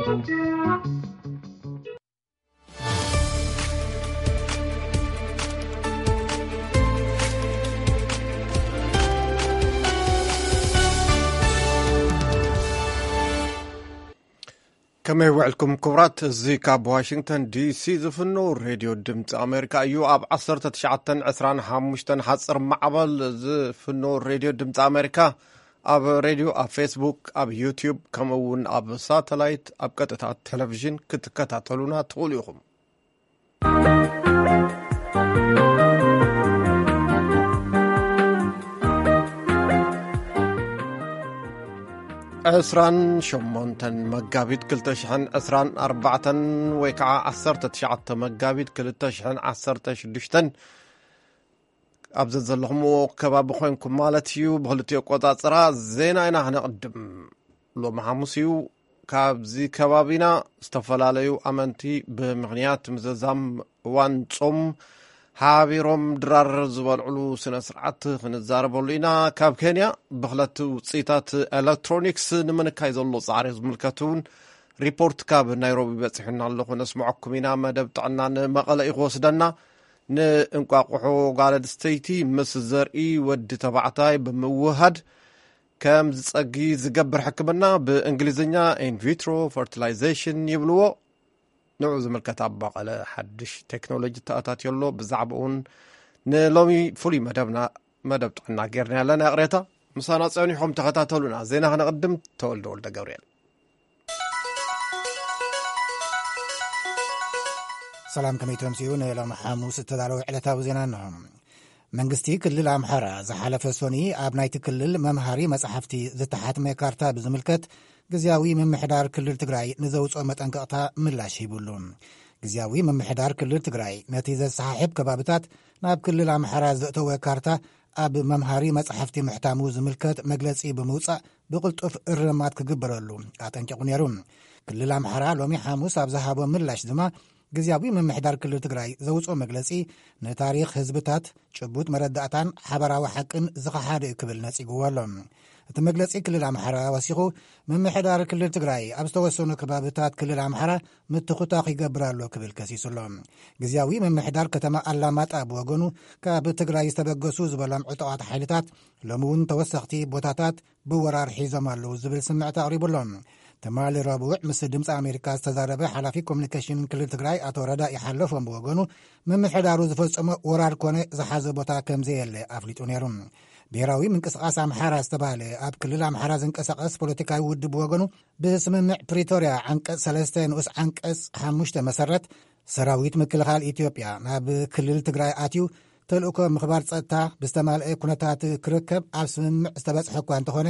ከመይ ውዕልኩም ክቡራት? እዚ ካብ ዋሽንግተን ዲሲ ዝፍኖ ሬድዮ ድምፂ ኣሜሪካ እዩ። ኣብ ዓሰርተ ትሽዓተን ዕስራን ሓሙሽተን ሓፂር ማዕበል ዝፍኖ ሬድዮ ድምፂ ኣሜሪካ ኣብ ሬድዮ፣ ኣብ ፌስቡክ፣ ኣብ ዩቲዩብ፣ ከምኡ እውን ኣብ ሳተላይት ኣብ ቀጥታ ቴሌቪዥን ክትከታተሉና ትኽእሉ ኢኹም። ዕስራን ሸሞንተን መጋቢት ክልተ ሽሕን ዕስራን ኣርባዕተን ወይ ከዓ ዓሰርተ ትሽዓተ መጋቢት ክልተ ሽሕን ዓሰርተ ሽዱሽተን ኣብ ዘዘለኹምዎ ከባቢ ኮይንኩም ማለት እዩ። ብክልቲኡ ኣቆጻጽራ ዜና ኢና ክነቕድም። ሎሚ ሓሙስ እዩ። ካብዚ ከባቢና ዝተፈላለዩ ኣመንቲ ብምኽንያት ምዝዛም እዋን ጾም ሓቢሮም ድራር ዝበልዕሉ ስነ ስርዓት ክንዛረበሉ ኢና። ካብ ኬንያ ብኽለት ውፅኢታት ኤሌክትሮኒክስ ንምንካይ ዘሎ ጻዕሪ ዝምልከት እውን ሪፖርት ካብ ናይሮቢ በፂሑና ኣሎ፣ ክነስምዐኩም ኢና። መደብ ጥዕና ንመቐለ እዩ ክወስደና። ንእንቋቑሖ ጓል ኣንስተይቲ ምስ ዘርኢ ወዲ ተባዕታይ ብምውሃድ ከም ዝጸጊ ዝገብር ሕክምና፣ ብእንግሊዝኛ ኢንቪትሮ ፈርቲላይዜሽን ይብልዎ። ንዑ ዝምልከት ኣብ መቐለ ሓድሽ ቴክኖሎጂ ተኣታትዮ ኣሎ። ብዛዕባኡ እውን ንሎሚ ፍሉይ መደብና፣ መደብ ጥዕና ጌርና ኣለና። ይቕሬታ፣ ምሳና ጸኒሖም ተኸታተሉና። ዜና ክነቕድም፣ ተወልደ ወልደ ገብርኤል። ሰላም፣ ከመይ ተምስኡ? ንሎሚ ሓሙስ እተዳለወ ዕለታዊ ዜና እንሆ። መንግስቲ ክልል ኣምሓራ ዝሓለፈ ሶኒ ኣብ ናይቲ ክልል መምሃሪ መጻሕፍቲ ዝተሓትመ ካርታ ብዝምልከት፣ ግዝያዊ ምምሕዳር ክልል ትግራይ ንዘውፅኦ መጠንቀቕታ ምላሽ ሂቡሉ። ግዝያዊ ምምሕዳር ክልል ትግራይ ነቲ ዘሰሓሕብ ከባብታት ናብ ክልል ኣምሓራ ዘእተወ ካርታ ኣብ መምሃሪ መጻሕፍቲ ምሕታሙ ዝምልከት መግለጺ ብምውጻእ፣ ብቕልጡፍ እርማት ክግበረሉ ኣጠንቂቑ ነይሩ። ክልል ኣምሓራ ሎሚ ሓሙስ ኣብ ዝሃቦ ምላሽ ድማ፣ ግዝያዊ ምምሕዳር ክልል ትግራይ ዘውፅኦ መግለጺ ንታሪኽ ህዝብታት፣ ጭቡጥ መረዳእታን ሓበራዊ ሓቅን ዝኸሓደ እዩ ክብል ነጺግዎ ኣሎ። እቲ መግለጺ ክልል ኣምሓራ ወሲኹ፣ ምምሕዳር ክልል ትግራይ ኣብ ዝተወሰኑ ከባብታት ክልል ኣምሓራ ምትኹታኽ ይገብር ኣሎ ክብል ከሲሱ ኣሎ። ግዝያዊ ምምሕዳር ከተማ ኣላማጣ ብወገኑ፣ ካብ ትግራይ ዝተበገሱ ዝበሎም ዕጡቓት ሓይልታት ሎሚ እውን ተወሰኽቲ ቦታታት ብወራር ሒዞም ኣለዉ ዝብል ስምዕታ ኣቕሪቡ ኣሎ። ትማሊ ረቡዕ ምስ ድምፂ ኣሜሪካ ዝተዛረበ ሓላፊ ኮሚኒኬሽን ክልል ትግራይ ኣቶ ረዳኢ ሓለፎም ብወገኑ፣ ምምሕዳሩ ዝፈጸሞ ወራር ኮነ ዝሓዘ ቦታ ከም ዘየለ ኣፍሊጡ ነይሩ። ብሄራዊ ምንቅስቓስ ኣምሓራ ዝተባህለ ኣብ ክልል ኣምሓራ ዝንቀሳቐስ ፖለቲካዊ ውድብ ብወገኑ፣ ብስምምዕ ፕሪቶርያ ዓንቀጽ ሰለስተ ንኡስ ዓንቀጽ ሓሙሽተ መሰረት፣ ሰራዊት ምክልኻል ኢትዮጵያ ናብ ክልል ትግራይ ኣትዩ ተልእኮ ምኽባር ጸጥታ ብዝተማልአ ኩነታት ክርከብ ኣብ ስምምዕ ዝተበጽሐ እኳ እንተኾነ፣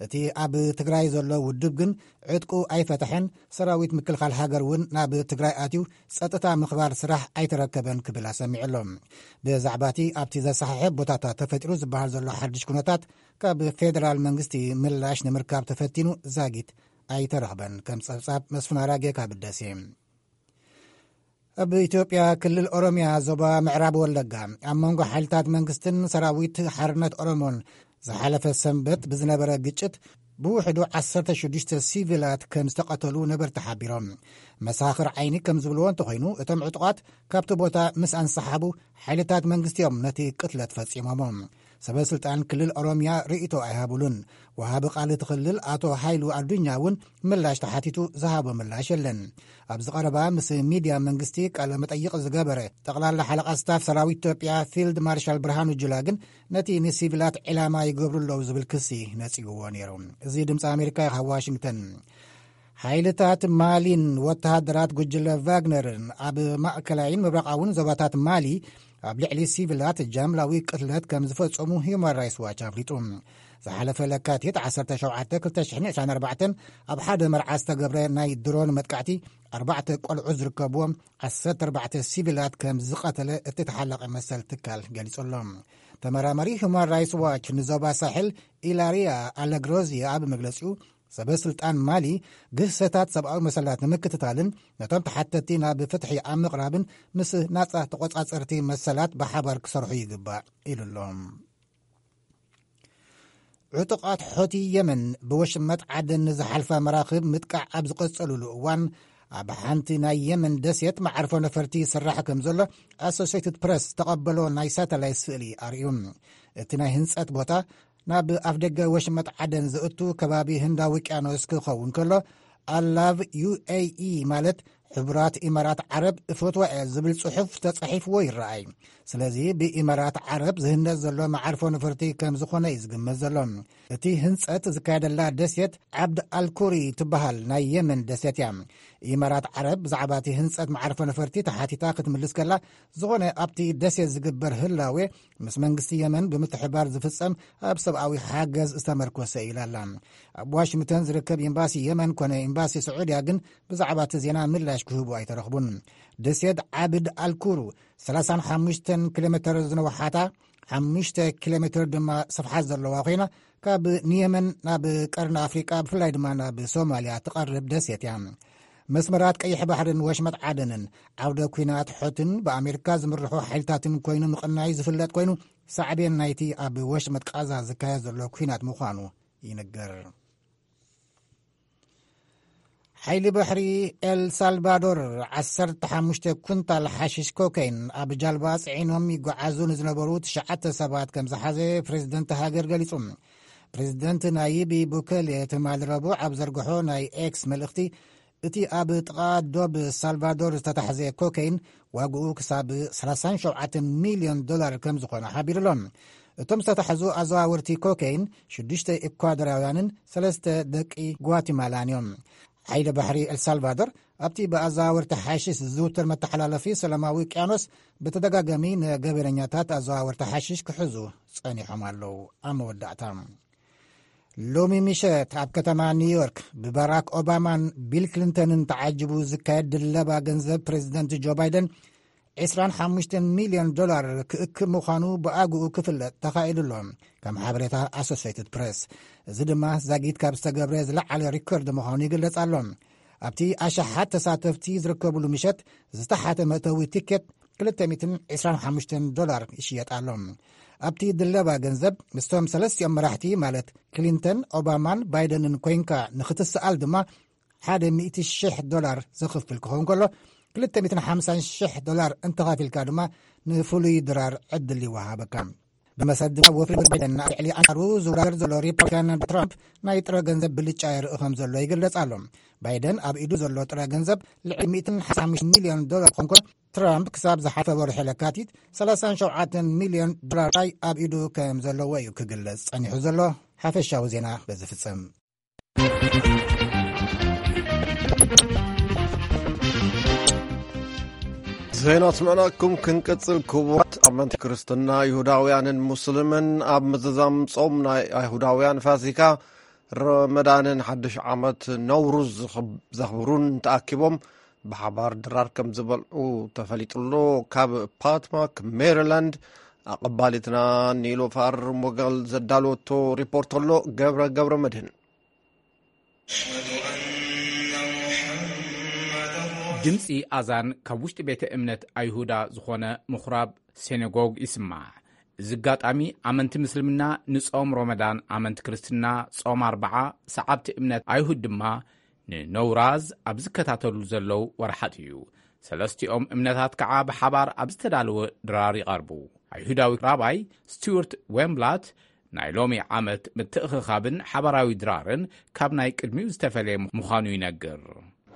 እቲ ኣብ ትግራይ ዘሎ ውድብ ግን ዕጥቁ ኣይፈተሐን፣ ሰራዊት ምክልኻል ሃገር እውን ናብ ትግራይ ኣትዩ ጸጥታ ምኽባር ስራሕ ኣይተረከበን ክብል ኣሰሚዑ ኣሎ። ብዛዕባ እቲ ኣብቲ ዘሰሓሕብ ቦታታት ተፈጢሩ ዝበሃል ዘሎ ሓድሽ ኩነታት፣ ካብ ፌደራል መንግስቲ ምላሽ ንምርካብ ተፈቲኑ ዛጊት ኣይተረኽበን። ከም ጸብጻብ መስፍን ኣራጌ ካብ ደሴ። ኣብ ኢትዮጵያ ክልል ኦሮሚያ ዞባ ምዕራብ ወለጋ፣ ኣብ መንጎ ሓይልታት መንግስትን ሰራዊት ሓርነት ኦሮሞን ዝሓለፈ ሰንበት ብዝነበረ ግጭት፣ ብውሕዱ ዓሰርተ ሽዱሽተ ሲቪላት ከም ዝተቐተሉ ነበርቲ ሓቢሮም። መሳኽር ዓይኒ ከም ዝብልዎ እንተኾይኑ፣ እቶም ዕጡቓት ካብቲ ቦታ ምስ ኣንሰሓቡ፣ ሓይልታት መንግስቲ እዮም ነቲ ቅትለት ፈጺሞሞ። ሰበ ስልጣን ክልል ኦሮሚያ ርእይቶ ኣይሃቡሉን። ወሃቢ ቃል እቲ ክልል ኣቶ ሃይሉ ኣዱኛ እውን ምላሽ ተሓቲቱ ዝሃቦ ምላሽ የለን። ኣብዚ ቀረባ ምስ ሚድያ መንግስቲ ቃለ መጠይቕ ዝገበረ ጠቕላላ ሓለቓ ስታፍ ሰራዊት ኢትዮጵያ ፊልድ ማርሻል ብርሃኑ ጁላ ግን፣ ነቲ ንሲቪላት ዕላማ ይገብሩ ኣለዉ ዝብል ክሲ ነጺግዎ ነይሩ። እዚ ድምፂ ኣሜሪካ እዩ ካብ ዋሽንግተን። ሓይልታት ማሊን ወተሃደራት ጉጅለ ቫግነርን ኣብ ማእከላይን ምብራቓውን ዞባታት ማሊ ኣብ ልዕሊ ሲቪላት ጃምላዊ ቅትለት ከም ዝፈጸሙ ሂዩማን ራይትስ ዋች ኣፍሊጡ። ዝሓለፈ ለካቲት ዓሰርተ ሸውዓተ ክልተ ሽሕን ዕስራን ኣርባዕተን ኣብ ሓደ መርዓ ዝተገብረ ናይ ድሮን መጥቃዕቲ፣ ኣርባዕተ ቆልዑ ዝርከብዎም ዓሰርተ ኣርባዕተ ሲቪላት ከም ዝቐተለ እቲ ተሓላቒ መሰል ትካል ገሊጹ ኣሎ። ተመራማሪ ሂዩማን ራይትስ ዋች ንዞባ ሳሕል ኢላሪያ ኣለግሮዚያ ኣብ መግለጺኡ፣ ሰበ ስልጣን ማሊ ግህሰታት ሰብኣዊ መሰላት ንምክትታልን ነቶም ተሓተቲ ናብ ፍትሒ ኣብ ምቕራብን ምስ ናጻ ተቖጻጸርቲ መሰላት ብሓባር ክሰርሑ ይግባእ ኢሉ ኣሎ። ዕጡቓት ሖቲ የመን ብወሽመጥ ዓደን ንዝሓልፋ መራኽብ ምጥቃዕ ኣብ ዝቐጸሉሉ እዋን፣ ኣብ ሓንቲ ናይ የመን ደሴት መዓርፎ ነፈርቲ ይስራሕ ከም ዘሎ ኣሶሴትድ ፕረስ ዝተቐበሎ ናይ ሳተላይት ስእሊ ኣርእዩ። እቲ ናይ ህንጸት ቦታ ናብ ኣፍደገ ወሽመጥ ዓደን ዘእቱ ከባቢ ህንዳዊ ውቅያኖስ ክኸውን ከሎ፣ ኣላቭ ዩ ኤ ኢ ማለት ሕቡራት ኢማራት ዓረብ እፈትዋ እየ ዝብል ጽሑፍ ተጻሒፍዎ ይረኣይ። ስለዚ ብኢማራት ዓረብ ዝህነጽ ዘሎ መዓርፎ ነፈርቲ ከም ዝኾነ እዩ ዝግመት ዘሎ። እቲ ህንጸት ዝካየደላ ደሴት ዓብድ ኣልኩሪ ትበሃል ናይ የመን ደሴት እያ። ኢማራት ዓረብ ብዛዕባ እቲ ህንጸት መዓርፎ ነፈርቲ ተሓቲታ ክትምልስ ከላ፣ ዝኾነ ኣብቲ ደሴት ዝግበር ህላዌ ምስ መንግስቲ የመን ብምትሕባር ዝፍጸም ኣብ ሰብኣዊ ሓገዝ ዝተመርኮሰ ኢላ ኣላ። ኣብ ዋሽንግተን ዝርከብ ኤምባሲ የመን ኮነ ኤምባሲ ስዑድያ ግን ብዛዕባ እቲ ዜና ምላሽ ክህቡ ኣይተረኽቡን። ደሴት ዓብድ ኣልኩሩ ሰላሳን ሓሙሽተን ኪሎ ሜተር ዝነውሓታ፣ ሓሙሽተ ኪሎ ሜተር ድማ ስፍሓት ዘለዋ ኮይና፣ ካብ ንየመን ናብ ቀርኒ ኣፍሪቃ ብፍላይ ድማ ናብ ሶማልያ ትቐርብ ደሴት እያ። መስመራት ቀይሕ ባሕርን ወሽመጥ ዓደንን ዓውደ ኲናት ሖትን ብኣሜሪካ ዝምርሑ ሓይልታትን ኮይኑ ምቕናዩ ዝፍለጥ ኮይኑ፣ ሳዕቤን ናይቲ ኣብ ወሽመጥ ቃዛ ዝካየድ ዘሎ ኲናት ምዃኑ ይንገር። ሓይሊ ባሕሪ ኤል ሳልቫዶር ዓሰርተ ሓሙሽተ ኩንታል ሓሽሽ ኮካይን ኣብ ጃልባ ጽዒኖም ይጓዓዙ ንዝነበሩ ትሽዓተ ሰባት ከም ዝሓዘ ፕሬዝደንት ሃገር ገሊጹ። ፕሬዝደንት ናይቢ ቡከሌ ትማሊ ረቡዕ ኣብ ዘርግሖ ናይ ኤክስ መልእኽቲ፣ እቲ ኣብ ጥቓ ዶብ ሳልቫዶር ዝተታሕዘ ኮካይን ዋግኡ ክሳብ ሰላሳን ሸውዓተን ሚልዮን ዶላር ከም ዝኾነ ሓቢሩ ኣሎ። እቶም ዝተታሕዙ ኣዘዋወርቲ ኮካይን ሽዱሽተ ኢኳዶራውያንን ሰለስተ ደቂ ጓቲማላን እዮም። ሓይሊ ባሕሪ ኤልሳልቫዶር ኣብቲ ብኣዘዋወርቲ ሓሽሽ ዝዝውተር መተሓላለፊ ሰላማዊ ውቅያኖስ ብተደጋጋሚ ንገበነኛታት ኣዘዋወርቲ ሓሽሽ ክሕዙ ጸኒሖም ኣለዉ። ኣብ መወዳእታ፣ ሎሚ ምሸት ኣብ ከተማ ኒውዮርክ ብባራክ ኦባማን ቢል ክሊንተንን ተዓጅቡ ዝካየድ ድለባ ገንዘብ ፕሬዚደንት ጆ ባይደን ዕስራን ሓሙሽተን ሚልዮን ዶላር ክእክብ ምዃኑ ብኣግኡ ክፍለጥ ተኻኢሉ ኣሎ፣ ከም ሓበሬታ ኣሶሴይትድ ፕሬስ። እዚ ድማ ዛጊት ካብ ዝተገብረ ዝለዓለ ሪከርድ ምዃኑ ይግለጽ ኣሎ። ኣብቲ ኣሽሓት ተሳተፍቲ ዝርከብሉ ምሸት ዝተሓተ መእተዊ ቲኬት ክልተ ሚእትን ዕስራን ሓሙሽተን ዶላር ይሽየጥ ኣሎ። ኣብቲ ድለባ ገንዘብ ምስቶም ሰለስቲኦም መራሕቲ ማለት ክሊንተን፣ ኦባማን ባይደንን ኮይንካ ንኽትሰኣል ድማ ሓደ ሚእቲ ሽሕ ዶላር ዘኽፍል ክኸውን ከሎ፣ ክልተ ሚእትን ሓምሳን ሽሕ ዶላር እንተኸፊልካ ድማ ንፍሉይ ድራር ዕድል ይወሃበካ። ብመሰረት ድማ ወፍሪ ባይደን ኣብ ልዕሊ ኣንጻሩ ዝወዳደር ዘሎ ሪፐብሊካን ትራምፕ ናይ ጥረ ገንዘብ ብልጫ የርኢ ከም ዘሎ ይግለጽ ኣሎ። ባይደን ኣብ ኢዱ ዘሎ ጥረ ገንዘብ ልዕሊ ሚእትን ሓምሳን ሚልዮን ዶላር ክኸውን ከሎ፣ ትራምፕ ክሳብ ዝሓለፈ ወርሒ ለካቲት ሰላሳን ሸውዓተን ሚልዮን ዶላር ጥራይ ኣብ ኢዱ ከም ዘለዎ እዩ ክግለጽ ጸኒሑ ዘሎ። ሓፈሻዊ ዜና በዚ ፍጸም። ዜና ስምዕናኩም ክንቅጽል፣ ክቡራት ኣመንቲ ክርስትና፣ ይሁዳውያንን ሙስልምን ኣብ ምዝዛም ጾም ናይ ኣይሁዳውያን ፋሲካ፣ ረመዳንን ሓድሽ ዓመት ነውሩዝ ዝኽብ-፣ ዘኽብሩን ተኣኪቦም ብሓባር ድራር ከም ዝበልዑ ተፈሊጡ ኣሎ። ካብ ፓትማክ ሜሪላንድ ኣቐባሊትና ኒሎፋር ሞገል ዘዳለወቶ ሪፖርት ኣሎ። ገብረ ገብረ መድህን። ድምፂ ኣዛን ካብ ውሽጢ ቤተ እምነት ኣይሁዳ ዝኾነ ምኹራብ ሴነጎግ ይስማዕ። እዚ ኣጋጣሚ ኣመንቲ ምስልምና ንጾም ሮመዳን፣ ኣመንቲ ክርስትና ጾም ኣርብዓ፣ ሰዓብቲ እምነት ኣይሁድ ድማ ንነውራዝ ኣብ ዝከታተሉ ዘለዉ ወርሓት እዩ። ሰለስቲኦም እምነታት ከዓ ብሓባር ኣብ ዝተዳለወ ድራር ይቐርቡ። ኣይሁዳዊ ራባይ ስቲዋርት ዌንብላት ናይ ሎሚ ዓመት ምትእኽኻብን ሓባራዊ ድራርን ካብ ናይ ቅድሚኡ ዝተፈለየ ምዃኑ ይነግር።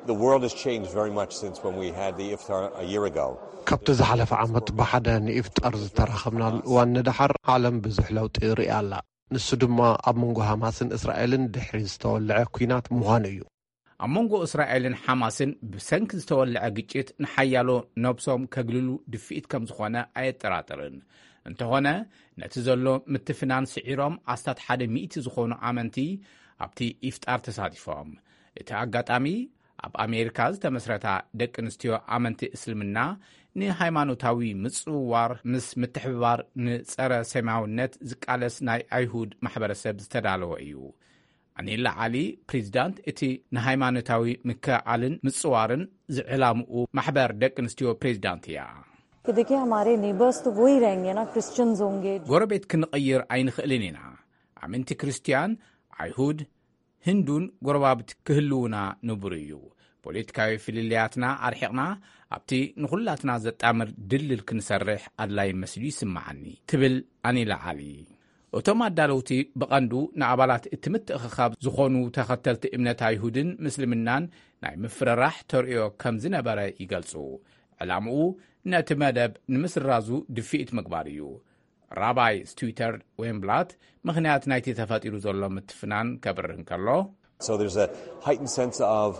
The world has changed very much since when we had the iftar a year ago. ካብቲ ዝሓለፈ ዓመት ብሓደ ንኢፍጣር ዝተራኸብናሉ እዋን ንደሓር፣ ዓለም ብዙሕ ለውጢ ርእያ ኣላ። ንሱ ድማ ኣብ መንጎ ሃማስን እስራኤልን ድሕሪ ዝተወልዐ ኲናት ምዃኑ እዩ። ኣብ መንጎ እስራኤልን ሓማስን ብሰንኪ ዝተወልዐ ግጭት ንሓያሎ ነብሶም ከግልሉ ድፍኢት ከም ዝኾነ ኣየጠራጥርን። እንተኾነ፣ ነቲ ዘሎ ምትፍናን ስዒሮም ኣስታት ሓደ ሚእቲ ዝኾኑ ኣመንቲ ኣብቲ ኢፍጣር ተሳቲፎም። እቲ ኣጋጣሚ ኣብ ኣሜሪካ ዝተመስረታ ደቂ ኣንስትዮ ኣመንቲ እስልምና ንሃይማኖታዊ ምጽውዋር ምስ ምትሕብባር ንጸረ ሰማያውነት ዝቃለስ ናይ ኣይሁድ ማሕበረሰብ ዝተዳለወ እዩ። ኣኒላ ዓሊ፣ ፕሬዚዳንት እቲ ንሃይማኖታዊ ምክእኣልን ምጽዋርን ዝዕላምኡ ማሕበር ደቂ ኣንስትዮ ፕሬዚዳንት እያ። कि देखिए हमारे नेबर्स तो वो ही रहेंगे ना, क्रिश्चियंस होंगे। ጎረቤት ክንቕይር ኣይንኽእልን ኢና። ኣመንቲ ክርስትያን፣ ኣይሁድ፣ ህንዱን ጎረባብቲ ክህልውና ንቡር እዩ። ፖለቲካዊ ፍልልያትና ኣርሒቕና፣ ኣብቲ ንኹላትና ዘጣምር ድልድል ክንሰርሕ ኣድላይ መስሉ ይስምዓኒ፣ ትብል ኣኒላ ዓሊ። እቶም ኣዳለውቲ ብቐንዱ ንኣባላት እቲ ምትእኽኻብ ዝኾኑ ተኸተልቲ እምነት ኣይሁድን ምስልምናን ናይ ምፍርራሕ ተርእዮ ከም ዝነበረ ይገልጹ። ዕላምኡ ነቲ መደብ ንምስራዙ ድፍኢት ምግባር እዩ። ራባይ ስቱተር ዌንብላት ምኽንያት ናይቲ ተፈጢሩ ዘሎ ምትፍናን ከብርህ እንከሎ፣ So there's a heightened sense of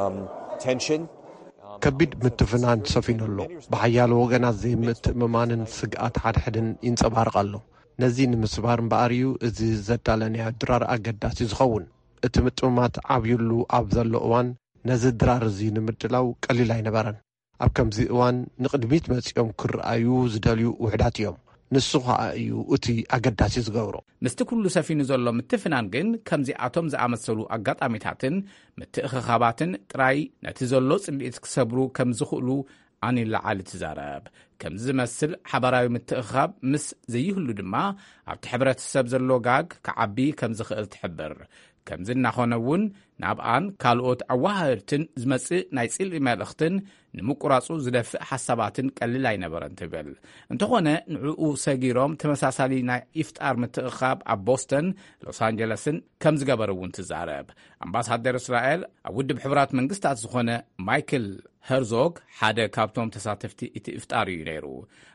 um, tension. ከቢድ ምትፍናን ሰፊኑ ኣሎ። ብሓያሎ ወገናት ዘይምትእምማንን ስግኣት ሓድሕድን ይንጸባርቕ ኣሎ። ነዚ ንምስባር እምበኣር እዩ እዚ ዘዳለናዮ ድራር ኣገዳሲ ዝኸውን። እቲ ምጥምማት ዓብዩሉ ኣብ ዘሎ እዋን፣ ነዚ ድራር እዚ ንምድላው ቀሊል ኣይነበረን። ኣብ ከምዚ እዋን ንቕድሚት መጺኦም ክረኣዩ ዝደልዩ ውሕዳት እዮም። ንሱ ኸኣ እዩ እቲ ኣገዳሲ ዝገብሮ። ምስቲ ኩሉ ሰፊኑ ዘሎ ምትፍናን ግን፣ ከምዚኣቶም ዝኣመሰሉ ኣጋጣሚታትን ምትእኽኻባትን ጥራይ ነቲ ዘሎ ጽልኢት ክሰብሩ ከም ዝኽእሉ ኣኒላ ዓሊ ትዛረብ። ከምዚ ዝመስል ሓባራዊ ምትእኽኻብ ምስ ዘይህሉ ድማ፣ ኣብቲ ሕብረተሰብ ዘሎ ጋግ ክዓቢ ከም ዝኽእል ትሕብር። ከምዚ እናኾነ እውን፣ ናብኣን ካልኦት ኣወሃህድትን ዝመጽእ ናይ ጽልኢ መልእኽትን ንምቁራጹ ዝደፍእ ሓሳባትን ቀሊል ኣይነበረን ትብል። እንተኾነ፣ ንዕኡ ሰጊሮም ተመሳሳሊ ናይ ኢፍጣር ምትእኻብ ኣብ ቦስተን፣ ሎስ ኣንጀለስን ከም ዝገበረ እውን ትዛረብ። ኣምባሳደር እስራኤል ኣብ ውድብ ሕቡራት መንግስታት ዝኾነ ማይክል ሄርዞግ ሓደ ካብቶም ተሳተፍቲ እቲ ኢፍጣር እዩ ነይሩ።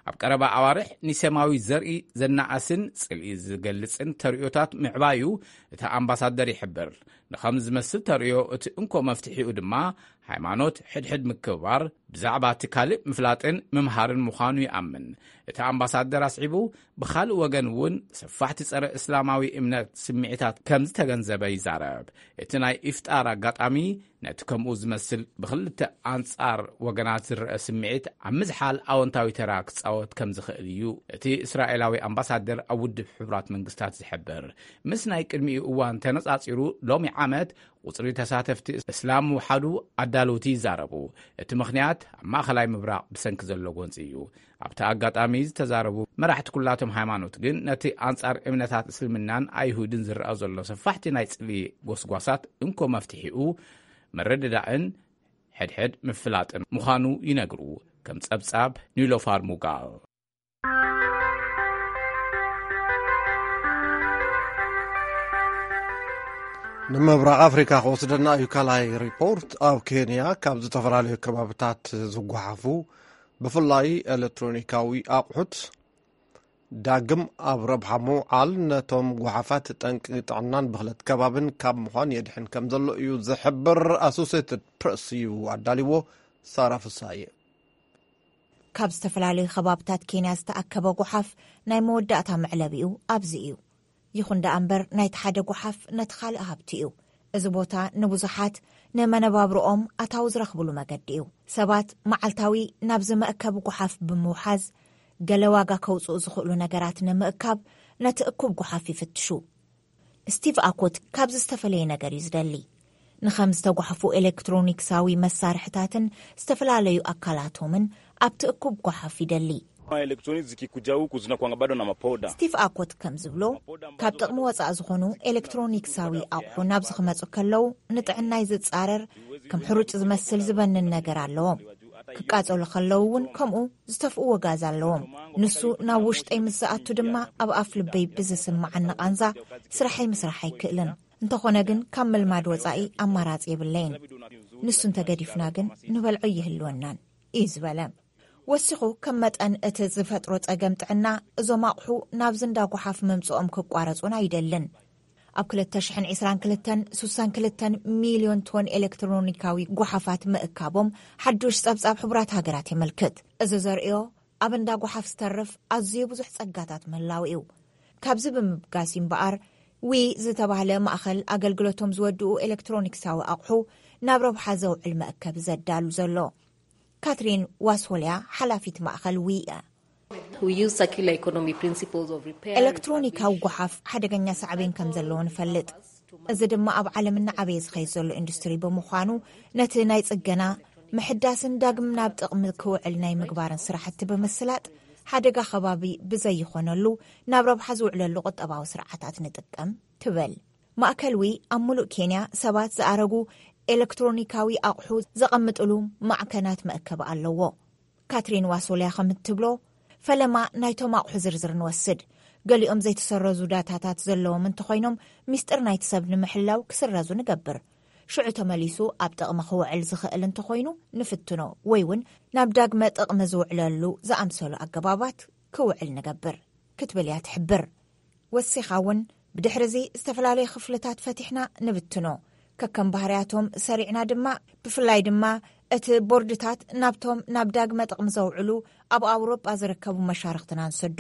ኣብ ቀረባ ኣዋርሕ ንሰማዊ ዘርኢ ዘናኣስን ጽልኢ ዝገልጽን ተርእዮታት ምዕባዩ እቲ ኣምባሳደር ይሕብር። ንኸም ዝመስል ተርእዮ፣ እቲ እንኮ መፍትሒኡ ድማ ሃይማኖት ሕድሕድ ምክብባር፣ ብዛዕባ እቲ ካልእ ምፍላጥን ምምሃርን ምዃኑ ይኣምን። እቲ ኣምባሳደር ኣስዒቡ፣ ብኻልእ ወገን እውን ሰፋሕቲ ጸረ እስላማዊ እምነት ስምዒታት ከም ዝተገንዘበ ይዛረብ። እቲ ናይ ኢፍጣር ኣጋጣሚ ነቲ ከምኡ ዝመስል ብኽልተ ኣንጻር ወገናት ዝረአ ስምዒት ኣብ ምዝሓል ኣወንታዊ ተራ ክጻወት ከም ዝኽእል እዩ እቲ እስራኤላዊ ኣምባሳደር ኣብ ውድብ ሕቡራት መንግስታት ዝሕብር። ምስ ናይ ቅድሚኡ እዋን ተነጻጺሩ፣ ሎሚ ዓመት ቁጽሪ ተሳተፍቲ እስላም ምውሓዱ ኣዳለውቲ ይዛረቡ። እቲ ምኽንያት ኣብ ማእኸላይ ምብራቕ ብሰንኪ ዘሎ ጎንጺ እዩ። ኣብቲ ኣጋጣሚ ዝተዛረቡ መራሕቲ ኩላቶም ሃይማኖት ግን፣ ነቲ ኣንጻር እምነታት እስልምናን ኣይሁድን ዝረኣ ዘሎ ሰፋሕቲ ናይ ጽልኢ ጎስጓሳት እንኮ መፍትሒኡ ምርድዳእን ሕድሕድ ምፍላጥን ምዃኑ ይነግሩ። ከም ጸብጻብ ኒሎፋር ሙጋል። ንምብራቕ ኣፍሪካ ክወስደና እዩ። ካልኣይ ሪፖርት፣ ኣብ ኬንያ ካብ ዝተፈላለዩ ከባብታት ዝጓሓፉ ብፍላይ ኤሌክትሮኒካዊ ኣቑሑት ዳግም ኣብ ረብሓ ምውዓል፣ ነቶም ጓሓፋት ጠንቂ ጥዕናን ብኽለት ከባብን ካብ ምዃን የድሕን ከም ዘሎ እዩ ዝሕብር። ኣሶሴትድ ፕረስ እዩ ኣዳልዎ። ሳራ ፍሳየ። ካብ ዝተፈላለዩ ከባብታት ኬንያ ዝተኣከበ ጓሓፍ ናይ መወዳእታ መዕለቢኡ ኣብዚ እዩ። ይኹን ደኣ እምበር፣ ናይቲ ሓደ ጓሓፍ ነቲ ካልእ ሃብቲ እዩ። እዚ ቦታ ንብዙሓት ንመነባብሮኦም ኣታዊ ዝረኽብሉ መገዲ እዩ። ሰባት መዓልታዊ ናብዚ መእከቢ ጓሓፍ ብምውሓዝ፣ ገለ ዋጋ ከውጽኡ ዝኽእሉ ነገራት ንምእካብ ነቲ እኩብ ጓሓፍ ይፍትሹ። ስቲቭ ኣኮት ካብዚ ዝተፈለየ ነገር እዩ ዝደሊ። ንኸም ዝተጓሕፉ ኤሌክትሮኒክሳዊ መሳርሕታትን ዝተፈላለዩ ኣካላቶምን ኣብቲ እኩብ ጓሓፍ ይደሊ። Elektroni zikikuja huku zinakuanga bado na mapoda. ስቲቭ ኣኮት ከም ዝብሎ፣ ካብ ጥቕሚ ወፃእ ዝኾኑ ኤሌክትሮኒክሳዊ ኣቑሑ ናብዚ ክመፁ ከለዉ፣ ንጥዕናይ ዝፃረር፣ ከም ሕሩጭ ዝመስል ዝበንን ነገር ኣለዎም። ክቃፀሉ ከለዉ እውን ከምኡ ዝተፍእዎ ጋዝ ኣለዎም። ንሱ ናብ ውሽጠይ ምስ ዝኣቱ ድማ፣ ኣብ ኣፍ ልበይ ብዝስምዓኒ ቃንዛ ስራሐይ ምስራሕ ኣይክእልን። እንተኾነ ግን፣ ካብ ምልማድ ወፃኢ ኣማራፂ የብለይን። ንሱ እንተገዲፍና ግን፣ ንበልዖ ይህልወናን እዩ ዝበለ። ወሲኹ፣ ከም መጠን እቲ ዝፈጥሮ ጸገም ጥዕና፣ እዞም ኣቑሑ ናብዚ እንዳ ጓሓፍ ምምጽኦም ክቋረጹን ኣይደልን። ኣብ ክልተ ሽሕን ዕስራን ክልተን፣ ስሳን ክልተን ሚልዮን ቶን ኤሌክትሮኒካዊ ጓሓፋት ምእካቦም ሓዱሽ ጸብጻብ ሕቡራት ሃገራት የመልክት። እዚ ዘርእዮ፣ ኣብ እንዳ ጓሓፍ ዝተርፍ ኣዝዩ ብዙሕ ጸጋታት ምህላው እዩ። ካብዚ ብምብጋስ እምበኣር፣ ዊ ዝተባህለ ማእኸል ኣገልግሎቶም ዝወድኡ ኤሌክትሮኒክሳዊ ኣቑሑ ናብ ረብሓ ዘውዕል መእከቢ ዘዳሉ ዘሎ። ካትሪን ዋስሆልያ፣ ሓላፊት ማእኸል ዊ እያ። We use circular economy principles of repair. ኤሌክትሮኒካዊ ጓሓፍ ሓደገኛ ሳዕቤን ከም ዘለዎ ንፈልጥ። እዚ ድማ ኣብ ዓለም እናዓበየ ዝኸይድ ዘሎ ኢንዱስትሪ ብምዃኑ፣ ነቲ ናይ ጽገና፣ ምሕዳስን ዳግም ናብ ጥቕሚ ክውዕል ናይ ምግባርን ስራሕቲ ብምስላጥ፣ ሓደጋ ከባቢ ብዘይኾነሉ ናብ ረብሓ ዝውዕለሉ ቁጠባዊ ስርዓታት ንጥቀም ትብል። ማእከል ዊ ኣብ ሙሉእ ኬንያ ሰባት ዝኣረጉ ኤሌክትሮኒካዊ ኣቑሑ ዘቐምጥሉ ማዕከናት መእከቢ ኣለዎ። ካትሪን ዋሶልያ ከም እትብሎ፣ ፈለማ ናይቶም ኣቑሑ ዝርዝር ንወስድ። ገሊኦም ዘይተሰረዙ ዳታታት ዘለዎም እንተኾይኖም፣ ሚስጥር ናይቲ ሰብ ንምሕላው ክስረዙ ንገብር። ሽዑ ተመሊሱ ኣብ ጥቕሚ ክውዕል ዝኽእል እንተኾይኑ ንፍትኖ፣ ወይ እውን ናብ ዳግመ ጥቕሚ ዝውዕለሉ ዝኣምሰሉ ኣገባባት ክውዕል ንገብር፣ ክትብል እያ ትሕብር። ወሲኻ እውን፣ ብድሕሪ እዚ ዝተፈላለዩ ክፍልታት ፈቲሕና ንብትኖ። ከከም ባህርያቶም ሰሪዕና ድማ፣ ብፍላይ ድማ እቲ ቦርድታት ናብቶም ናብ ዳግመ ጥቕሚ ዘውዕሉ ኣብ ኣውሮጳ ዝርከቡ መሻርኽትና ንሰዶ።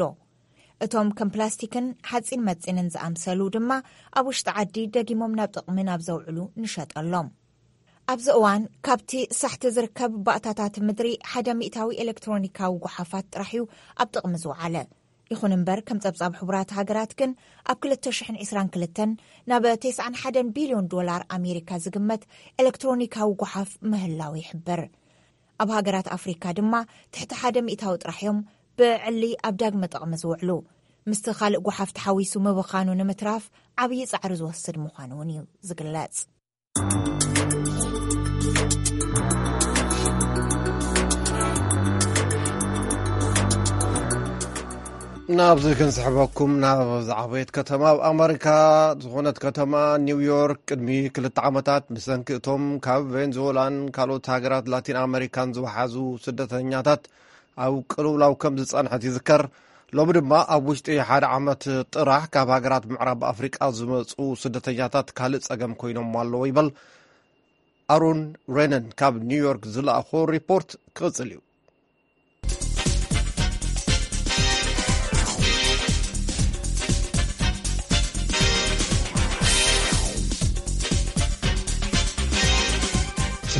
እቶም ከም ፕላስቲክን ሓጺን መጺንን ዝኣምሰሉ ድማ ኣብ ውሽጢ ዓዲ ደጊሞም ናብ ጥቕሚ ናብ ዘውዕሉ ንሸጠሎም። ኣብዚ እዋን ካብቲ ሳሕቲ ዝርከብ ባእታታት ምድሪ ሓደ ሚእታዊ ኤሌክትሮኒካዊ ጓሓፋት ጥራሕ እዩ ኣብ ጥቕሚ ዝወዓለ። ይኹን እምበር፣ ከም ጸብጻብ ሕቡራት ሃገራት ግን፣ ኣብ ክልተ ሽሕን ዕስራን ክልተን ናብ ተስዓን ሓደን ቢልዮን ዶላር ኣሜሪካ ዝግመት ኤሌክትሮኒካዊ ጓሓፍ ምህላው ይሕበር። ኣብ ሃገራት ኣፍሪካ ድማ ትሕቲ ሓደ ሚእታዊ ጥራሕ እዮም ብዕሊ ኣብ ዳግመ ጥቕሚ ዝውዕሉ። ምስቲ ካልእ ጓሓፍ ተሓዊሱ ምብኻኑ ንምትራፍ ዓብዪ ጻዕሪ ዝወስድ ምዃኑ እውን እዩ ዝግለጽ። ናብዚ ክንስሕበኩም፣ ናብ ዝዓበየት ከተማ ኣብ ኣመሪካ ዝኾነት ከተማ ኒውዮርክ፣ ቅድሚ ክልተ ዓመታት ብሰንኪ እቶም ካብ ቬንዙዌላን ካልኦት ሃገራት ላቲን ኣመሪካን ዝወሓዙ ስደተኛታት ኣብ ቅልውላው ከም ዝጸንሐት ይዝከር። ሎሚ ድማ ኣብ ውሽጢ ሓደ ዓመት ጥራሕ ካብ ሃገራት ምዕራብ ኣፍሪቃ ዝመጹ ስደተኛታት ካልእ ጸገም ኮይኖም ኣለዎ ይበል። ኣሮን ሬነን ካብ ኒውዮርክ ዝለኣኾ ሪፖርት ክቕጽል እዩ።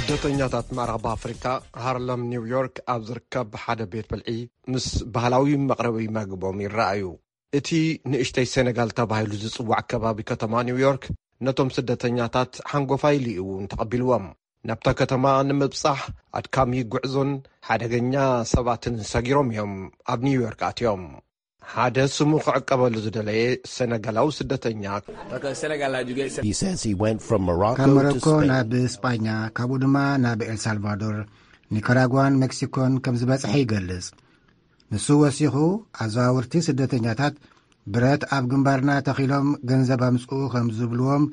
ስደተኛታት ምዕራብ ኣፍሪካ፣ ሃርለም ኒውዮርክ ኣብ ዝርከብ ሓደ ቤት ብልዒ ምስ ባህላዊ መቕረቢ መግቦም ይረኣዩ። እቲ ንእሽተይ ሴነጋል ተባሂሉ ዝጽዋዕ ከባቢ ከተማ ኒውዮርክ፣ ነቶም ስደተኛታት ሓንጎፋይ ኢሉ እዩ እውን ተቐቢልዎም። ናብታ ከተማ ንምብጻሕ ኣድካሚ ጉዕዞን ሓደገኛ ሰባትን ሰጊሮም እዮም ኣብ ኒውዮርክ ኣትዮም። ሓደ ስሙ ክዕቀበሉ ዝደለየ ሴነጋላዊ ስደተኛ፣ He says he went from ካብ Morocco to ሞሮኮ Spain. ናብ ስጳኛ፣ ካብኡ ድማ ናብ ኤልሳልቫዶር፣ ኒካራጓን ሜክሲኮን ከም ዝበጽሐ ይገልጽ። ንሱ ወሲኹ፣ ኣዘዋወርቲ ስደተኛታት ብረት ኣብ ግንባርና ተኺሎም ገንዘብ ኣምጽኡ ከም ዝብልዎም፣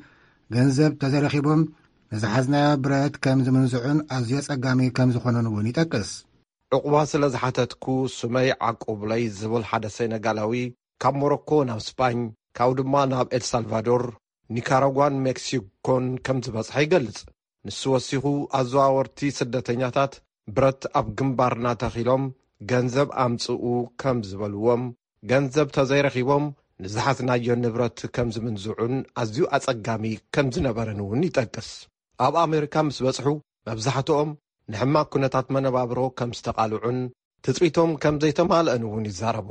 ገንዘብ ተዘረኺቦም ንዝሓዝናዮ ብረት ከም ዝምንዝዑን ኣዝዮ ጸጋሚ ከም ዝኾነን እውን ይጠቅስ። ዕቑባ ስለ ዝሓተትኩ ስመይ ዓቁብለይ ዝብል ሓደ ሴነጋላዊ፣ ካብ ሞሮኮ ናብ ስጳኝ፣ ካብኡ ድማ ናብ ኤልሳልቫዶር፣ ኒካራጓን ሜክሲኮን ከም ዝበጽሐ ይገልጽ። ንሱ ወሲኹ፣ ኣዘዋወርቲ ስደተኛታት ብረት ኣብ ግንባርና ተኺሎም ገንዘብ ኣምጽኡ ከም ዝበልዎም፣ ገንዘብ ተዘይረኺቦም ንዝሓዝናዮ ንብረት ከም ዝምንዝዑን ኣዝዩ ኣጸጋሚ ከም ዝነበረን እውን ይጠቅስ። ኣብ ኣሜሪካ ምስ በጽሑ፣ መብዛሕትኦም ንሕማቕ ኩነታት መነባብሮ ከም ዝተቓልዑን ትጽቢቶም ከም ዘይተማልአን እውን ይዛረቡ።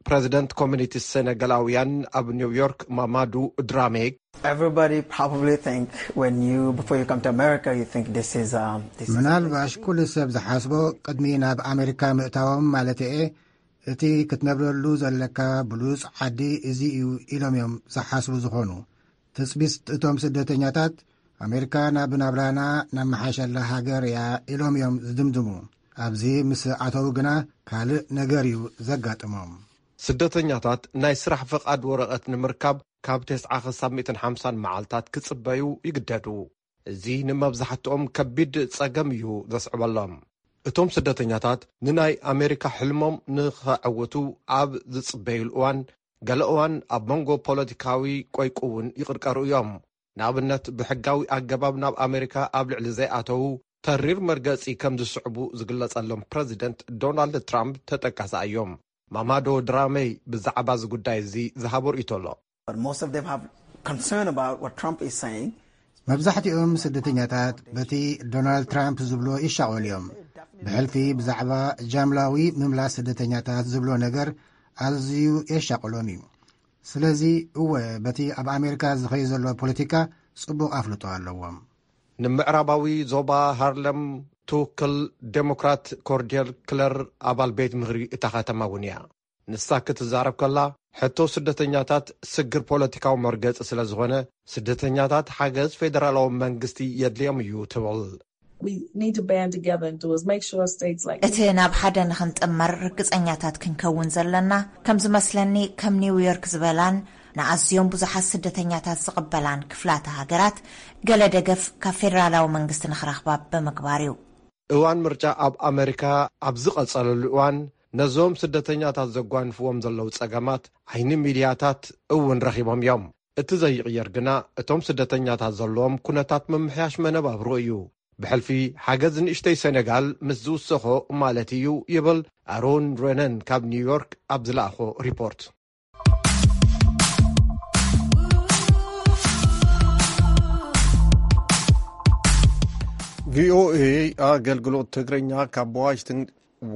ፕረዚደንት ኮሚኒቲ ሴነጋላውያን ኣብ ኒውዮርክ፣ ማማዱ ድራሜ፣ Everybody probably think when you, before you come to America, you think this is, um, this is ምናልባሽ ኩሉ ሰብ ዝሓስቦ ቅድሚ ናብ ኣሜሪካ ምእታዎም ማለት እየ፣ እቲ ክትነብረሉ ዘለካ ብሉጽ ዓዲ እዚ እዩ ኢሎም እዮም ዝሓስቡ ዝኾኑ። ትጽቢት እቶም ስደተኛታት፣ ኣሜሪካ ናብ ናብራና ነመሓሸላ ሃገር እያ ኢሎም እዮም ዝድምድሙ። ኣብዚ ምስ ኣተዉ ግና ካልእ ነገር እዩ ዘጋጥሞም። ስደተኛታት ናይ ስራሕ ፍቓድ ወረቐት ንምርካብ ካብ ተስዓ ክሳብ ሚእትን ሓምሳን መዓልታት ክጽበዩ ይግደዱ። እዚ ንመብዛሕትኦም ከቢድ ጸገም እዩ ዘስዕበሎም። እቶም ስደተኛታት ንናይ ኣሜሪካ ሕልሞም ንኸዕውቱ ኣብ ዝጽበዩሉ እዋን፣ ገለ እዋን ኣብ መንጎ ፖለቲካዊ ቆይቁ እውን ይቕርቀሩ እዮም። ንኣብነት፣ ብሕጋዊ ኣገባብ ናብ ኣሜሪካ ኣብ ልዕሊ ዘይኣተዉ ተሪር መርገጺ ከም ዝስዕቡ ዝግለጸሎም ፕረዚደንት ዶናልድ ትራምፕ ተጠቃሲ እዮም። ማማዶ ድራመይ ብዛዕባ እዚ ጉዳይ እዚ ዝሃቦ ርእይቶ ኣሎ። But most of them have concern about what Trump is saying. መብዛሕትኦም ስደተኛታት በቲ ዶናልድ ትራምፕ ዝብሎ ይሻቐሉ እዮም። ብሕልፊ ብዛዕባ ጃምላዊ ምምላስ ስደተኛታት ዝብሎ ነገር ኣዝዩ የሻቕሎም እዩ። ስለዚ እወ፣ በቲ ኣብ ኣሜሪካ ዝኸይ ዘሎ ፖለቲካ ጽቡቕ ኣፍልጦ ኣለዎም። ንምዕራባዊ ዞባ ሃርለም ትውክል ዴሞክራት ኮርዴል ክለር ኣባል ቤት ምኽሪ እታ ከተማ እውን እያ። ንሳ ክትዛረብ ከላ፣ ሕቶ ስደተኛታት ስግር ፖለቲካዊ መርገጺ ስለ ዝኾነ፣ ስደተኛታት ሓገዝ ፌደራላዊ መንግስቲ የድልዮም እዩ ትብል። We need to band together and do is make sure states like እቲ ናብ ሓደ ንኽንጥመር ርግጸኛታት ክንከውን ዘለና፣ ከም ዝመስለኒ ከም ኒውዮርክ ዝበላን ንኣዝዮም ብዙሓት ስደተኛታት ዝቕበላን ክፍላተ ሃገራት ገለ ደገፍ ካብ ፌደራላዊ መንግስቲ ንኽረኽባ ብምግባር እዩ። እዋን ምርጫ ኣብ ኣመሪካ ኣብ ዝቐጸለሉ እዋን፣ ነዞም ስደተኛታት ዘጓንፍዎም ዘለዉ ጸገማት ዓይኒ ሚድያታት እውን ረኺቦም እዮም። እቲ ዘይቕየር ግና፣ እቶም ስደተኛታት ዘለዎም ኩነታት ምምሕያሽ መነባብሮ እዩ። ብሕልፊ ሓገዝ ንእሽተይ ሴኔጋል ምስ ዝውሰኾ ማለት እዩ፣ ይብል ኣሮን ሬነን ካብ ኒውዮርክ ኣብ ዝለኣኾ ሪፖርት። ቪኦኤ ኣገልግሎት ትግርኛ ካብ ዋሽንግተን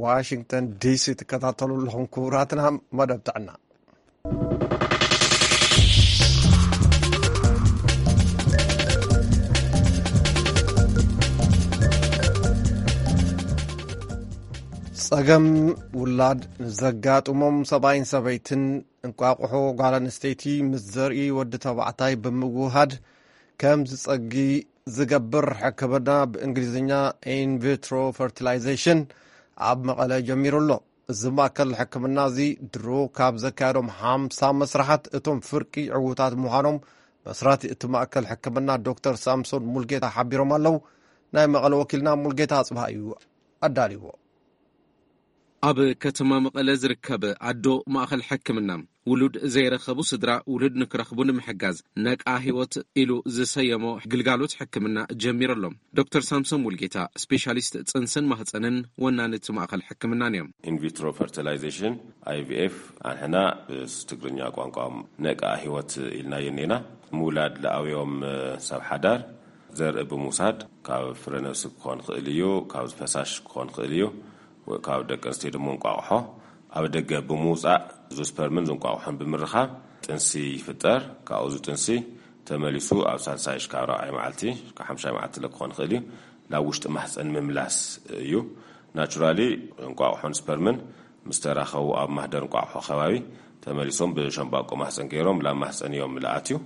ዋሽንግተን ዲሲ ትከታተሉ ኣለኹም። ክቡራትና፣ መደብ ጥዕና። ጸገም ውላድ ንዘጋጥሞም ሰብኣይን ሰበይትን፣ እንቋቑሖ ጓል ኣንስተይቲ ምስ ዘርኢ ወዲ ተባዕታይ ብምውሃድ ከም ዝጸጊ ዝገብር ሕክምና፣ ብእንግሊዝኛ ኢንቪትሮ ፈርቲላይዜሽን፣ ኣብ መቐለ ጀሚሩ ኣሎ። እዚ ማእከል ሕክምና እዚ ድሮ ካብ ዘካየዶም ሓምሳ መስራሓት፣ እቶም ፍርቂ ዕዉታት ምዃኖም መስራቲ እቲ ማእከል ሕክምና ዶክተር ሳምሶን ሙልጌታ ሓቢሮም ኣለዉ። ናይ መቐለ ወኪልና ሙልጌታ ኣጽብሃ እዩ ኣዳልይዎ። ኣብ ከተማ መቐለ ዝርከብ ኣዶ ማእኸል ሕክምና፣ ውሉድ ዘይረኸቡ ስድራ ውሉድ ንክረኽቡ ንምሕጋዝ፣ ነቃ ህይወት ኢሉ ዝሰየሞ ግልጋሎት ሕክምና ጀሚሩ ኣሎ። ዶክተር ሳምሶን ሙልጌታ፣ ስፔሻሊስት ጽንስን ማህፀንን ወናኒ እቲ ማእኸል ሕክምናን እዮም። ኢንቪትሮ ፈርቲላይዜሽን፣ ኣይቪኤፍ፣ ኣንሕና ብትግርኛ ቋንቋ ነቃ ህይወት ኢልናዮ እኒና። ምውላድ ለኣውዮም ሰብ ሓዳር ዘርኢ ብምውሳድ፣ ካብ ፍረ ነብሲ ክኾን ክእል እዩ፣ ካብ ፈሳሽ ክኾን ክእል እዩ፣ ካብ ደቂ ኣንስትዮ ድማ እንቋቑሖ ኣብ ደገ ብምውፃእ፣ እዚ ስፐርምን ዝንቋቑሖን ብምርኻብ ጥንሲ ይፍጠር። ካብኡ እዚ ጥንሲ ተመሊሱ ኣብ ሳልሳይ ሽካብ ራብዓይ መዓልቲ፣ ካብ ሓምሻይ መዓልቲ ለ ክኾን ክእል እዩ፣ ናብ ውሽጢ ማህፀን ምምላስ እዩ። ናቹራሊ እንቋቑሖን ስፐርምን ምስ ተራኸቡ፣ ኣብ ማህደር እንቋቑሖ ከባቢ ተመሊሶም ብሸምባቆ ማህፀን ገይሮም ላብ ማህፀን እዮም ልኣትዩ።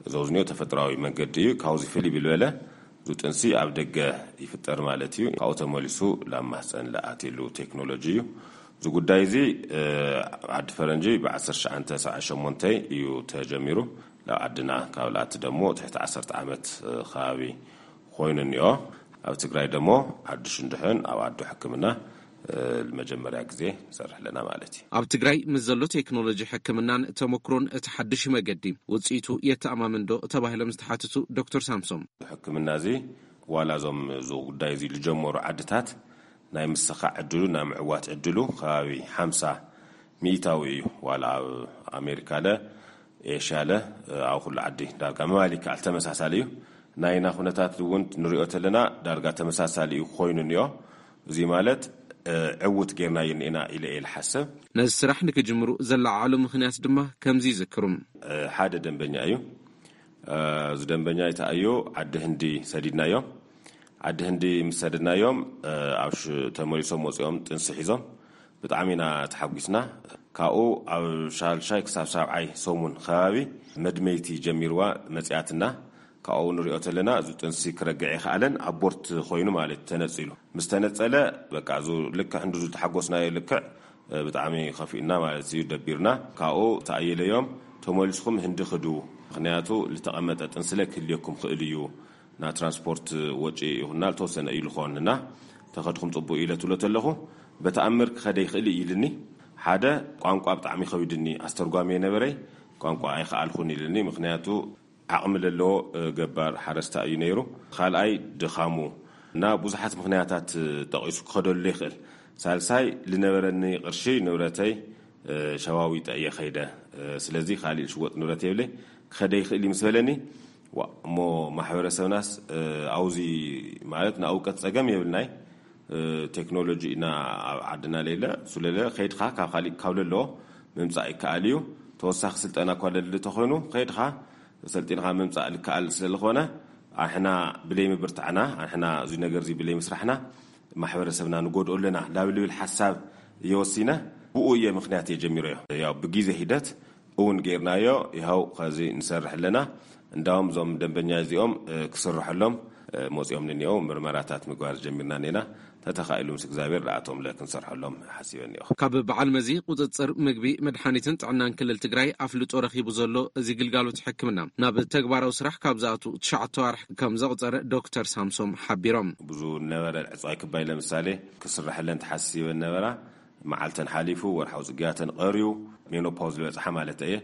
እዚ ዝኒኦ ተፈጥራዊ መንገዲ እዩ። ካብዚ ፍልይ ብልበለ፣ እዚ ጥንሲ ኣብ ደገ ይፍጠር ማለት እዩ። ካብኡ ተመሊሱ ላብ ማህፀን ልኣትየሉ ቴክኖሎጂ እዩ። እዚ ጉዳይ እዚ፣ እ፣ ዓዲ ፈረንጂ ብ ዓሰርተ ትሽዓተ ሰብዓ ሸሞንተ እዩ ተጀሚሩ። ላብ ዓድና ካብ ልኣቲ ደሞ ትሕቲ ዓሰርተ ዓመት፣ እ፣ ከባቢ ኮይኑ እኒኦ። ኣብ ትግራይ ደሞ ዓዲ ሽንድሕን ኣብ ኣዶ ሕክምና፣ እ፣ ንመጀመርያ ግዜ ንሰርሕ ኣለና ማለት እዩ። ኣብ ትግራይ ምስ ዘሎ ቴክኖሎጂ ሕክምናን ተመክሮን እቲ ሓድሽ መገዲ ውፅኢቱ የተኣማምን ዶ ተባሂሎም ዝተሓትቱ ዶክተር ሳምሶም፣ ሕክምና እዚ ዋላ እዞም እዚ ጉዳይ እዚ ዝጀመሩ ዓድታት ናይ ምስኻዕ ዕድሉ፣ ናይ ምዕዋት ዕድሉ ከባቢ ሓምሳ ሚእታዊ እዩ። ዋላ ኣብ ኣሜሪካ ለ፣ ኤሽያ ለ፣ ኣብ ኩሉ ዓዲ ዳርጋ ምባል ይከኣል፣ ተመሳሳሊ እዩ። ናይና ኩነታት እውን ንሪኦ ተለና ዳርጋ ተመሳሳሊ እዩ ኮይኑ እኒኦ። እዚ ማለት፣ እ፣ ዕውት ጌርናዮ እኒኤና ኢለ እየ ዝሓስብ። ነዚ ስራሕ ንክጅምሩ ዘለዓዓሉ ምኽንያት ድማ ከምዚ ይዝክሩ። እ፣ ሓደ ደንበኛ እዩ። እ፣ እዚ ደንበኛ ይተኣዮ ዓዲ ህንዲ ሰዲድናዮ። ዓዲ ህንዲ ምስ ሰደድናዮም፣ እ፣ ኣብ ሽ-፣ ተመሊሶም ወፂኦም ጥንሲ ሒዞም። ብጣዕሚ ኢና ተሓጒስና። ካብኡ ኣብ ሻልሻይ ክሳብ ሳብዓይ ሰሙን ከባቢ መድመይቲ ጀሚርዋ መፅያትና። ካብኡ ንሪኦ ተለና እዚ ጥንሲ ክረግዕ ይኸኣለን፣ ኣቦርት ኮይኑ ማለት ተነፂሉ። ምስ ተነፀለ በቃ እዚ ልክዕ እንዲ ዝተሓጎስናዮ ልክዕ፣ እ፣ ብጣዕሚ ከፊኡና ማለት እዩ፣ ደቢርና። ካብኡ ተኣየለዮም፣ ተመሊስኩም ህንዲ ክዱ፣ ምኽንያቱ ዝተቐመጠ ጥንስለ ክህልየኩም ክእል እዩ፣ ና ትራንስፖርት ወጪ ይኹንና ዝተወሰነ እዩ ዝኾንና፣ ተኸድኩም ፅቡቅ እዩ ኢለ ትብሎ ተለኹ፣ በተኣምር ክኸደ ይኽእል እዩ ኢልኒ። ሓደ ቋንቋ ብጣዕሚ ከቢድኒ፣ ኣስተርጓሚ የነበረይ፣ ቋንቋ ኣይኸኣልኩን ኢልኒ፣ ምኽንያቱ ዓቕሚ ለለዎ፣ እ፣ ገባር ሓረስታ እዩ ነይሩ። ካልኣይ ድኻሙ እና ብዙሓት ምኽንያታት፣ እ፣ ጠቒሱ ክኸደሉ ይኽእል። ሳልሳይ ልነበረኒ ቅርሺ ንብረተይ፣ እ፣ ሸዋዊጠ እየ ኸይደ። እ፣ ስለዚ ካሊእ ሽወጥ ንብረት የብለይ፣ ክኸደ ይኽእል እዩ ምስ በለኒ፣ ዋ፣ እሞ ማሕበረሰብናስ፣ እ፣ ኣውዚ ማለት ንእውቀት ጸገም የብልናይ፣ እ፣ ቴክኖሎጂ ኢና ኣብ ዓድና ለይለ፣ ስለለ ኸይድኻ ካብ ካሊእ ካብ ለለዎ ምምጻእ ይከኣል እዩ። ተወሳኺ ስልጠና እኳ ለሊ ተኾይኑ ኸይድኻ ሰልጢንኻ ምምጻእ ልከኣል ስለዝኾነ፣ ኣንሕና ብለይ ምብርታዕና፣ ኣንሕና እዚ ነገር እዚ ብለይ ምስራሕና ማሕበረሰብና ንጎድኦ ኣለና ላብ ልብል ሓሳብ እየ ወሲነ። ብኡ እየ ምክንያት እየ ጀሚረዮ። ያው ብግዜ ሂደት እውን ጌርናዮ። ይኸው ከዚ ንሰርሕ ኣለና። እንዳውም እዞም ደንበኛ እዚኦም ክስርሐሎም መፂኦም ንኒኦ ምርመራታት ምግባር ጀሚርና ኔና። ተተኻኢሉ ምስ እግዚኣብሔር ደኣቶም ለ ክንሰርሐሎም ሓሲበ እኒኦ። ካብ በዓል መዚ ቁፅፅር ምግቢ፣ መድሓኒትን ጥዕናን ክልል ትግራይ ኣፍልጦ ረኺቡ ዘሎ እዚ ግልጋሎት ሕክምና ናብ ተግባራዊ ስራሕ ካብ ዝኣቱ ትሽዓተ ዋርሕ ከም ዘቑፀረ ዶክተር ሳምሶም ሓቢሮም። ብዙ ነበረ ዕፅዋይ ክባይ ለምሳሌ ክስራሕለን ተሓሲበን ነበራ። መዓልተን ሓሊፉ፣ ወርሓዊ ፅግያተን ቀርዩ፣ ሜኖፓውዝ ዝበፅሓ ማለት እየ።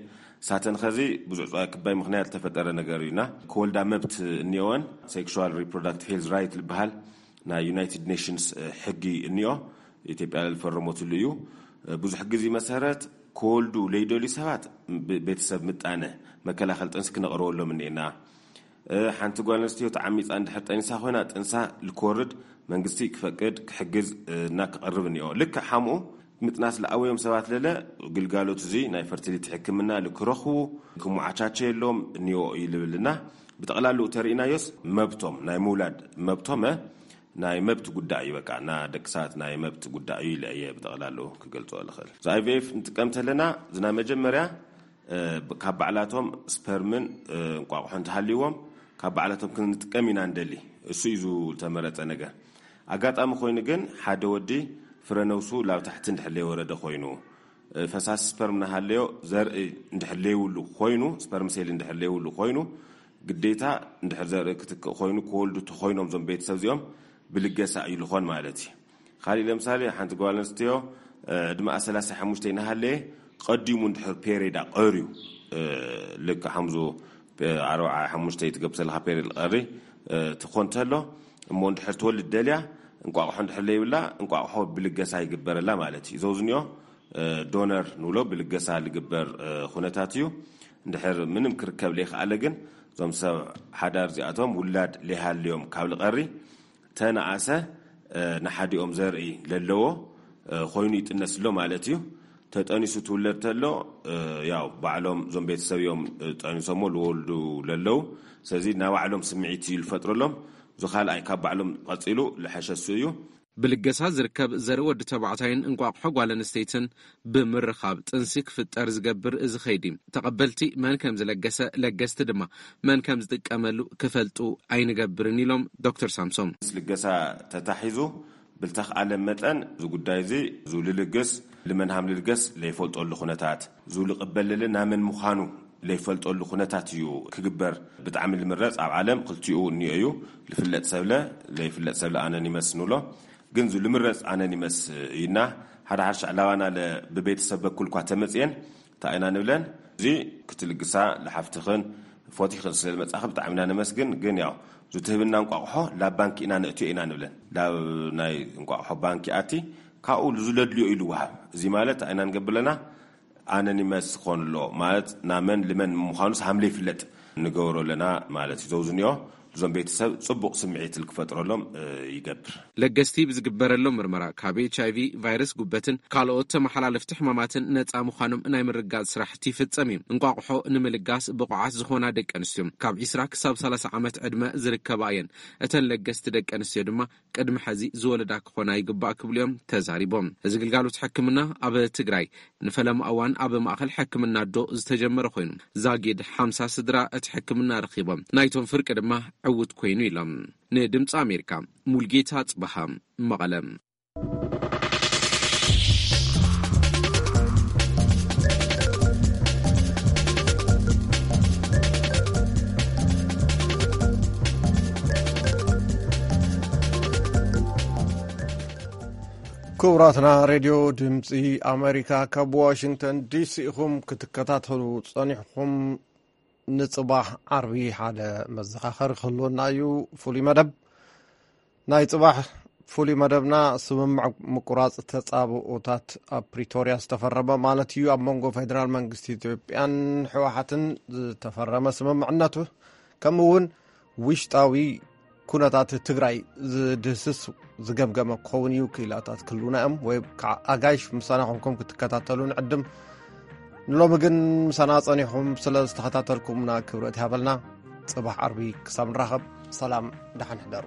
ሳተን ኸዚ ብዙ ዕፅዋይ ክባይ ምክንያት ዝተፈጠረ ነገር እዩና። ክወልዳ መብት እኒኦወን፣ ሴክሹዋል ሪፕሮዳክቲቭ ሄልዝ ራይት ዝበሃል ናይ ዩናይትድ ኔሽንስ ሕጊ እኒኦ። ኢትዮጵያ ዝፈረመትሉ እዩ። ብዙሕ ግዜ መሰረት ክወልዱ ለይደልዩ ሰባት ቤተሰብ ምጣነ መከላኸል ጥንሲ ክነቕርበሎም እኒኤና። ሓንቲ ጓል ኣንስትዮ ተዓሚፃ እንድሕር ጠኒሳ ኮይና ጥንሳ ልክወርድ መንግስቲ ክፈቅድ ክሕግዝ እና ክቐርብ እኒኦ። ልክዕ ሓምኡ ምጥናስ ለኣወዮም ሰባት ለለ ግልጋሎት እዚ ናይ ፈርቲሊቲ ሕክምና ልክረኽቡ ክመዓቻቸ የሎም እኒኦ እዩ ልብልና። ብጠቕላሉ ተርእናዮስ መብቶም ናይ ምውላድ መብቶመ ናይ መብት ጉዳይ እዩ። በቃ እና ደቂ ሰባት ናይ መብት ጉዳይ እዩ ኢለ እየ ብጠቕላሉ ክገልጾ ልኽእል። እዚ ኣይቪኤፍ ንጥቀም ተለና ዝና መጀመርያ ካብ ባዕላቶም ስፐርምን እንቋቑሖ እንተሃልይዎም ካብ ባዕላቶም ክንጥቀም ኢና እንደሊ። እሱ እዩ ዝተመረጸ ነገር። ኣጋጣሚ ኮይኑ ግን ሓደ ወዲ ፍረ ነብሱ ላብ ታሕቲ እንድሕር ለይወረደ ኮይኑ ፈሳሲ ስፐርም እናሃለዮ ዘርኢ እንድሕር ለይብሉ ኮይኑ፣ ስፐርም ሴል እንድሕር ለይብሉ ኮይኑ፣ ግዴታ እንድሕር ዘርኢ ክትክእ ኮይኑ ክወልዱ ተኮይኖም እዞም ቤተሰብ እዚኦም ብልገሳ እዩ ልኾን ማለት እዩ። ካሊእ ለምሳሌ ሓንቲ ጓል ኣንስትዮ ዕድመኣ ሰላሳ ሓሙሽተ እናሃለየ ቀዲሙ እንድሕር ፔሬዳ ቀርዩ ልክ ሓምዙ ኣርባዓ ሓሙሽተ ትገብር ዘለካ ፔሬድ ቀሪ ትኾን ተሎ እሞ እንድሕር ትወልድ ደልያ እንቋቑሖ እንድሕር ለይብላ እንቋቑሖ ብልገሳ ይግበረላ ማለት እዩ። ዘውዝኒኦ ዶነር ንብሎ ብልገሳ ልግበር ኩነታት እዩ። እንድሕር ምንም ክርከብ ለይከኣለ ግን እዞም ሰብ ሓዳር እዚኣቶም ውላድ ለይሃልዮም ካብ ልቐሪ ተነኣሰ ንሓዲኦም ዘርኢ ለለዎ ኮይኑ ይጥነስ ኣሎ ማለት እዩ። ተጠኒሱ ትውለድ ተሎ ያው ባዕሎም እዞም ቤተሰብ እዮም ጠኒሶሞ ልወልዱ ለለው። ስለዚ ናባዕሎም ስምዒት እዩ ልፈጥረሎም። እዚ ካልኣይ ካብ ባዕሎም ቀፂሉ ልሐሸሱ እዩ። ብልገሳ ዝርከብ ዘርኢ ወዲ ተባዕታይን እንቋቑሖ ጓል ኣንስተይትን ብምርኻብ ጥንሲ ክፍጠር ዝገብር እዚ ኸይዲ ተቐበልቲ መን ከም ዝለገሰ ለገስቲ ድማ መን ከም ዝጥቀመሉ ክፈልጡ ኣይንገብርን ኢሎም ዶክተር ሳምሶም። ምስ ልገሳ ተታሒዙ ብልተኽኣለ መጠን እዚ ጉዳይ እዚ ዙ ልልግስ ልመን ሃም ልልገስ ለይፈልጠሉ ኩነታት ዙ ልቕበልልን ናመን ምዃኑ ለይፈልጠሉ ኩነታት እዩ ክግበር ብጣዕሚ ልምረጽ። ኣብ ዓለም ክልቲኡ እኒኦ እዩ። ልፍለጥ ሰብለ ለይፍለጥ ሰብለ ኣነን ይመስ ንብሎ ግን ዙ ልምረጽ ኣነን ይመስ እዩና ሓደ ሓርሻ ዕላዋና ብቤተሰብ በኩል እኳ ተመጽየን እንታይ ኢና ንብለን? እዚ ክትልግሳ ንሓፍትኽን ፎቲኽን ስለ ዝመጻኺ ብጣዕሚ ኢና ነመስግን። ግን ያው ዝትህብና እንቋቑሖ ላብ ባንኪ ኢና ነእትዮ ኢና ንብለን። ላብ ናይ እንቋቑሖ ባንኪ ኣቲ ካብኡ ዝለድልዮ ኢሉ ወሃብ። እዚ ማለት እንታይ ኢና ንገብር ኣለና? ኣነኒመስ ክኾን ኣለዎ ማለት ናመን ልመን ምዃኑስ ሃምለ ይፍለጥ ንገብሮ ኣለና ማለት እዩ። ዘውዝኒኦ እዞም ቤተሰብ ጽቡቕ ስምዒት ክፈጥረሎም ይገብር። ለገስቲ ብዝግበረሎም ምርመራ ካብ ኤች ኣይቪ ቫይረስ ጉበትን ካልኦት ተመሓላለፍቲ ሕማማትን ነጻ ምዃኖም ናይ ምርጋጽ ስራሕቲ ይፍጸም እዩ። እንቋቑሖ ንምልጋስ ብቑዓት ዝኾና ደቂ ኣንስትዮ ካብ ዒስራ ክሳብ ሰላሳ ዓመት ዕድመ ዝርከባ እየን። እተን ለገስቲ ደቂ ኣንስትዮ ድማ ቅድሚ ሕዚ ዝወለዳ ክኾና ይግባእ ክብሉ እዮም ተዛሪቦም። እዚ ግልጋሎት ሕክምና ኣብ ትግራይ ንፈለማ እዋን ኣብ ማእኸል ሕክምና ኣዶ ዝተጀመረ ኮይኑ ዛጊድ ሓምሳ ስድራ እቲ ሕክምና ረኺቦም ናይቶም ፍርቂ ድማ ዕውት ኮይኑ ኢሎም። ንድምፂ ኣሜሪካ ሙልጌታ ጽበሃ መቐለ። ክቡራትና ሬድዮ ድምፂ ኣሜሪካ ካብ ዋሽንግተን ዲሲ ኢኹም ክትከታተሉ ጸኒሕኹም። ንጽባሕ ዓርቢ ሓደ መዘኻኸሪ ክህልወና እዩ። ፍሉይ መደብ ናይ ጽባሕ ፍሉይ መደብና ስምምዕ ምቁራጽ ተጻብኦታት ኣብ ፕሪቶርያ ዝተፈረመ ማለት እዩ ኣብ መንጎ ፌደራል መንግስቲ ኢትዮጵያን ሕወሓትን ዝተፈረመ ስምምዕነቱ ከምኡ እውን ውሽጣዊ ኩነታት ትግራይ ዝድህስስ ዝገምገመ ክኸውን እዩ። ክኢላታት ክህልውና እዮም ወይ ከዓ ኣጋይሽ ምሳና ኮንኩም ክትከታተሉ ንዕድም። ንሎሚ ግን ምሳና ጸኒኹም ስለ ዝተኸታተልኩምና ክብረት ይሃበልና። ጽባሕ ዓርቢ ክሳብ ንራኸብ። ሰላም፣ ደሓን ሕደሩ።